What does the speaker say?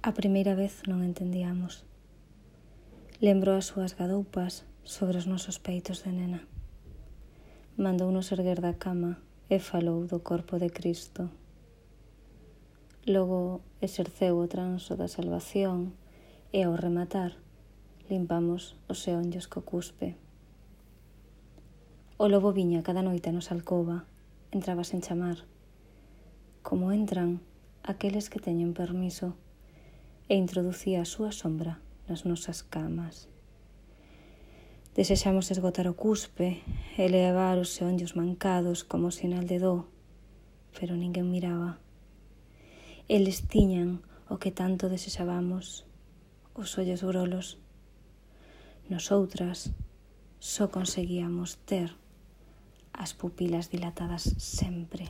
A primeira vez non entendíamos. Lembro as súas gadoupas sobre os nosos peitos de nena. Mandounos erguer da cama e falou do corpo de Cristo. Logo exerceu o transo da salvación e ao rematar limpamos os xeonllos co cuspe. O lobo viña cada noite a nosa alcoba, entraba sen chamar, como entran aqueles que teñen permiso, e introducía a súa sombra nas nosas camas. Desexamos esgotar o cuspe e levar os xeonllos mancados como sinal de dó, pero ninguén miraba. Eles tiñan o que tanto desexábamos, os ollos grolos. Nosoutras só conseguíamos ter as pupilas dilatadas sempre.